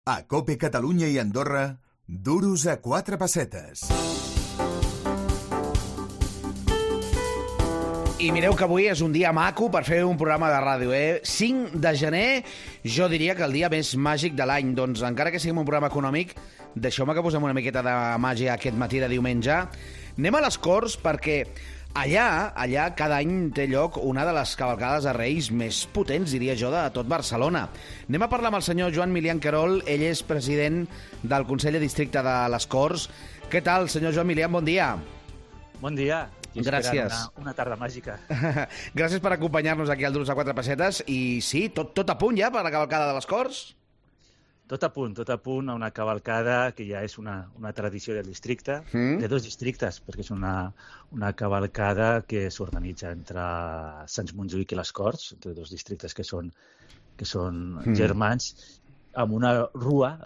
A COPE Catalunya i Andorra, duros a 4 pessetes. I mireu que avui és un dia maco per fer un programa de ràdio, 5 de gener, jo diria que el dia més màgic de l'any. Doncs encara que sigui un programa econòmic, deixeu-me que posem una miqueta de màgia aquest matí de diumenge. Anem a les Corts perquè allà cada any té lloc una de les cavalcades de Reis més potents, diria jo, de tot Barcelona. Anem a parlar amb el senyor Joan Milian Querol, ell és president del Consell de Districte de les Corts. Què tal, senyor Joan Milian? Bon dia. Bon dia. Gràcies. Una tarda màgica. Gràcies per acompanyar-nos aquí al Duros a 4 pessetes. I sí, tot a punt ja per la cavalcada de les Corts? Tot a punt a una cavalcada que ja és una tradició del districte, de dos districtes, perquè és una cavalcada que s'organitza entre Sants Montjuïc i les Corts, entre dos districtes que són germans, amb una rua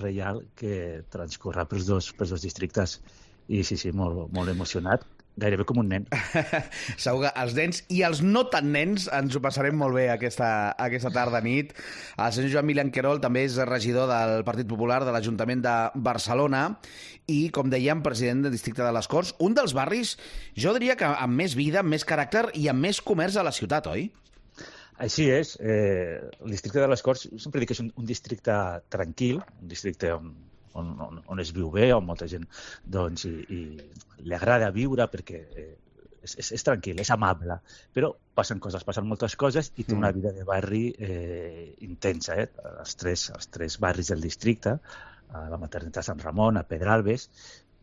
reial que transcorre pels dos districtes. I sí, molt emocionat. Gairebé com un nen. Segur que els nens i els no tan nens ens ho passarem molt bé aquesta tarda nit. El senyor Joan Milian Querol també és regidor del Partit Popular de l'Ajuntament de Barcelona i, com dèiem, president del Districte de les Corts. Un dels barris, jo diria que amb més vida, amb més caràcter i amb més comerç a la ciutat, oi? Així és. El Districte de les Corts, sempre dic que és un districte tranquil, un districte on es viu bé, on molta gent doncs, i li agrada viure perquè és tranquil, és amable, però passen moltes coses i té una vida de barri intensa. Els tres barris del districte, a la Maternitat Sant Ramon, a Pedralbes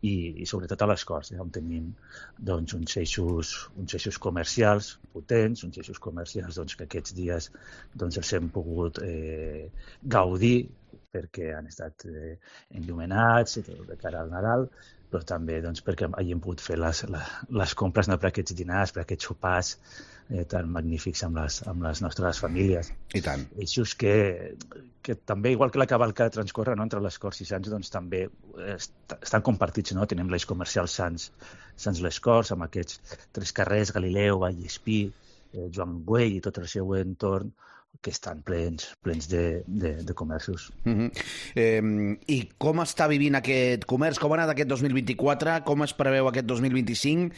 i sobretot a les Corts, on tenim doncs, uns eixos comercials potents, uns eixos comercials doncs, que aquests dies doncs, els hem pogut gaudir perquè han estat enllumenats de cara al Nadal, però també doncs, perquè hagin pogut fer les compres per aquests dinars, per aquests sopars tan magnífics amb les nostres famílies. I tant. Eixos que també, igual que la cavalcada transcorre entre les Corts i Sants, doncs també estan compartits. Tenim l'eix comercial Sants les Corts, amb aquests tres carrers, Galileu, Vallespí, Joan Güell i tot el seu entorn, que estan plens de comerços. I com està vivint aquest comerç? Com ha anat aquest 2024? Com es preveu aquest 2025?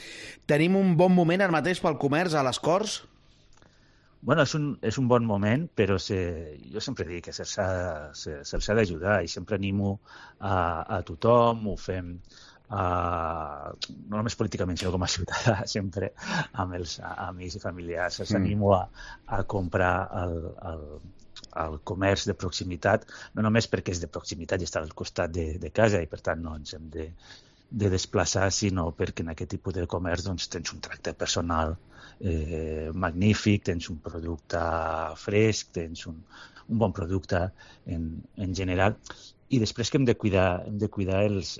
Tenim un bon moment ara mateix pel comerç a les Corts? Bueno, és un bon moment, però jo sempre dic que se'ls ha d'ajudar i sempre animo a tothom, ho fem no només políticament, sinó com a ciutadà, sempre amb els amics i familiars. Els animo a comprar el comerç de proximitat, no només perquè és de proximitat i està al costat de casa i per tant no ens hem de desplaçar, sinó perquè en aquest tipus de comerç doncs, tens un tracte personal magnífic, tens un producte fresc, tens un bon producte en general. I després que hem de cuidar els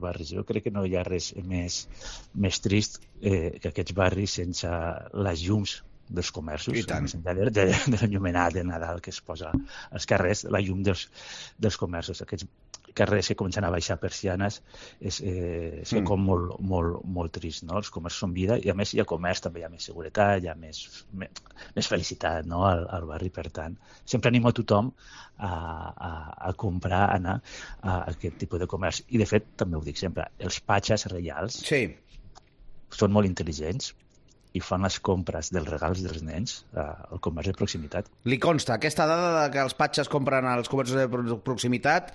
barris. Jo crec que no hi ha res més trist que aquests barris sense les llums dels comerços, de l'enllumenat de Nadal que es posa als carrers, la llum dels comerços. Aquests carrers que comencen a baixar persianes és com molt trist. No? Els comerços són vida i a més hi ha comerç, també hi ha més seguretat, hi ha més felicitat al barri. Per tant, sempre animo a tothom a comprar, a anar a aquest tipus de comerç. I de fet, també ho dic sempre, els patges reials són molt intel·ligents i fan les compres dels regals dels nens al comerç de proximitat. Li consta aquesta dada que els patges compren als comerços de proximitat,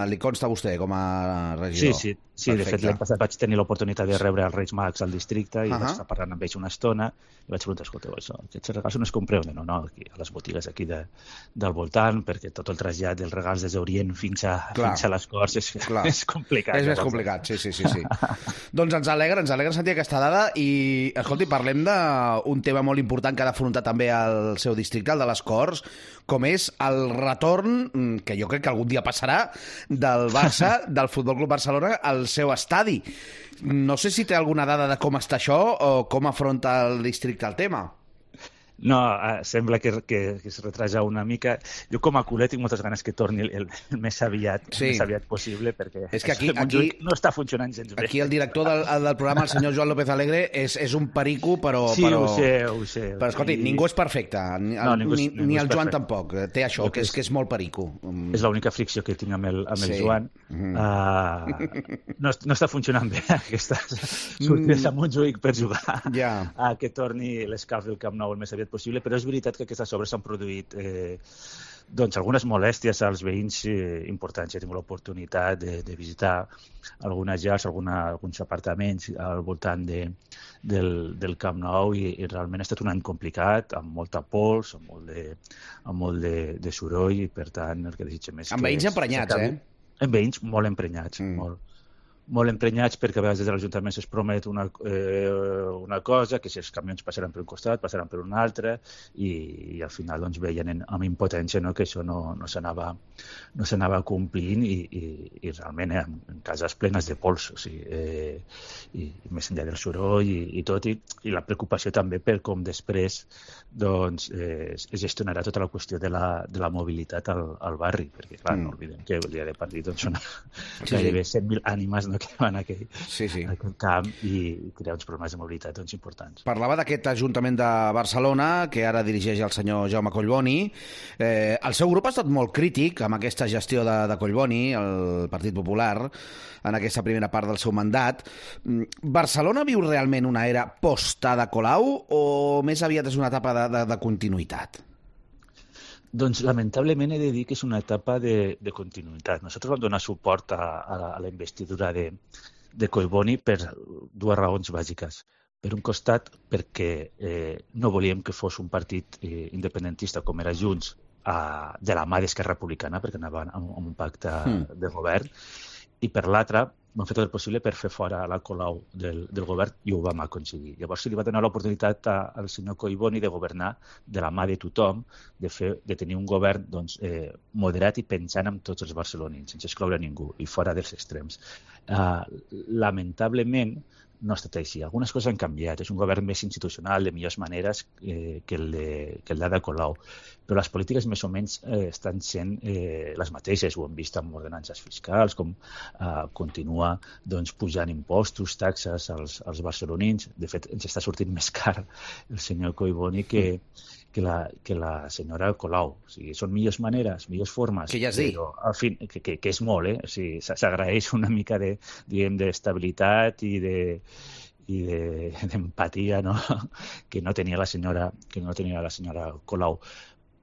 li consta a vostè com a regidor? Sí. De fet, l'any passat vaig tenir l'oportunitat de rebre els Reis Mags al districte i vaig estar parlant amb ells una estona i vaig preguntar, escolteu, aquests regals on es compreu? No, aquí, a les botigues aquí del voltant, perquè tot el trasllat dels regals des d'Orient fins a les Corts és complicat. És més complicat, sí. Doncs ens alegra sentir aquesta dada i, escolti, parlem d'un tema molt important que ha d'afrontar també el seu districte, el de les Corts, com és el retorn, que jo crec que algun dia passarà, del Barça, del Futbol Club Barcelona, al seu estadi. No sé si té alguna dada de com està això o com afronta el districte el tema. No, sembla que es retrasa una mica. Jo com a culer tinc moltes ganes que torni el més aviat possible, perquè és que aquí no està funcionant gens bé. Aquí el director del programa, el senyor Joan López Alegre, és un perico, però... Sí, ho sé. Però escolti, ningú és perfecte, ni el Joan tampoc. Té això, que és molt perico. És l'única fricció que tinc amb el Joan. No està funcionant bé aquesta sortida a Montjuïc per jugar a que torni l'escalf del Camp Nou el més aviat possible, però és veritat que aquestes obres s'han produït algunes molèsties als veïns importants. He tingut l'oportunitat de visitar algunes llars, alguns apartaments al voltant del Camp Nou i realment ha estat un any complicat, amb molta pols, amb molt de soroll, i per tant el que desitgem és que... Amb veïns emprenyats, Amb veïns molt emprenyats, molt emprenyats, perquè a vegades des de l'Ajuntament es promet una cosa, que si els camions passaran per un costat, passaran per un altre, i al final veien amb impotència que això no s'anava complint, i realment en cases plenes de pols, i més enllà del soroll i tot, i la preocupació també per com després es gestionarà tota la qüestió de la mobilitat al barri, perquè clar, no oblidem que el dia de partit són gairebé 100.000 ànimes que van a aquell camp i crear uns problemes de mobilitat importants. Parlava d'aquest Ajuntament de Barcelona, que ara dirigeix el senyor Jaume Collboni. El seu grup ha estat molt crític amb aquesta gestió de Collboni, el Partit Popular, en aquesta primera part del seu mandat. Barcelona viu realment una era post-Ada Colau o més aviat és una etapa de continuïtat? Doncs lamentablement he de dir que és una etapa de continuïtat. Nosaltres vam donar suport a la investidura de Collboni per dues raons bàsiques. Per un costat, perquè no volíem que fos un partit independentista com era Junts de la mà d'Esquerra Republicana, perquè anaven amb un pacte de govern, i per l'altra vam fer tot el possible per fer fora la Colau del govern i ho vam aconseguir. Llavors se li va donar l'oportunitat al senyor Collboni de governar de la mà de tothom, de tenir un govern moderat i pensant en tots els barcelonins, sense excloure ningú i fora dels extrems. Lamentablement no ha estat així. Algunes coses han canviat. És un govern més institucional, de millors maneres que el d'Ada Colau. Però les polítiques més o menys estan sent les mateixes. Ho hem vist amb ordenances fiscals, com continua pujant impostos, taxes als barcelonins. De fet, ens està sortint més car el senyor Collboni que la senyora Colau. O sigui, són millors maneres, millors formes. Que ja es diu. Però, al fin, que és molt, O sigui, s'agraeix una mica d'estabilitat i d'empatia, no? que no tenia la senyora Colau.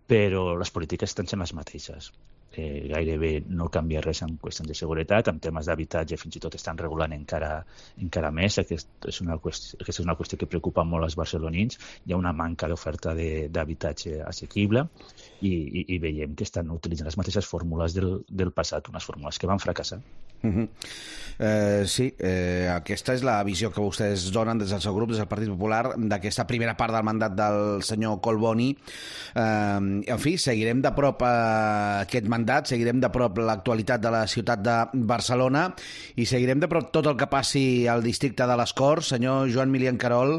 Però les polítiques estan sent les mateixes. Gairebé no canvia res en qüestions de seguretat, en temes d'habitatge fins i tot estan regulant encara més. Aquesta és una qüestió que preocupa molt als barcelonins. Hi ha una manca d'oferta d'habitatge assequible i veiem que estan utilitzant les mateixes fórmules del passat, unes fórmules que van fracassar. Sí, aquesta és la visió que vostès donen des del seu grup, des del Partit Popular, d'aquesta primera part del mandat del senyor Collboni. En fi, seguirem de prop aquest mandat, seguirem de prop l'actualitat de la ciutat de Barcelona i seguirem de prop tot el que passi al districte de les Corts. Senyor Joan Milian Querol,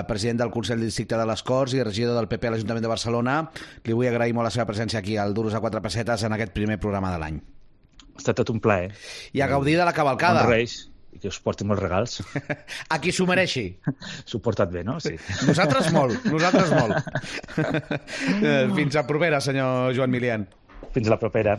president del Consell del Districte de les Corts i regidor del PP a l'Ajuntament de Barcelona, li vull agrair molt la seva presència aquí al Duros a 4 pessetes en aquest primer programa de l'any. Ha estat tot un plaer. I a gaudir de la cavalcada. Bons Reis, i que us porti molts regals. A qui s'ho mereixi. S'ho portat bé, no? Sí. Nosaltres molt. Fins a propera, senyor Joan Milian. Fins a la propera.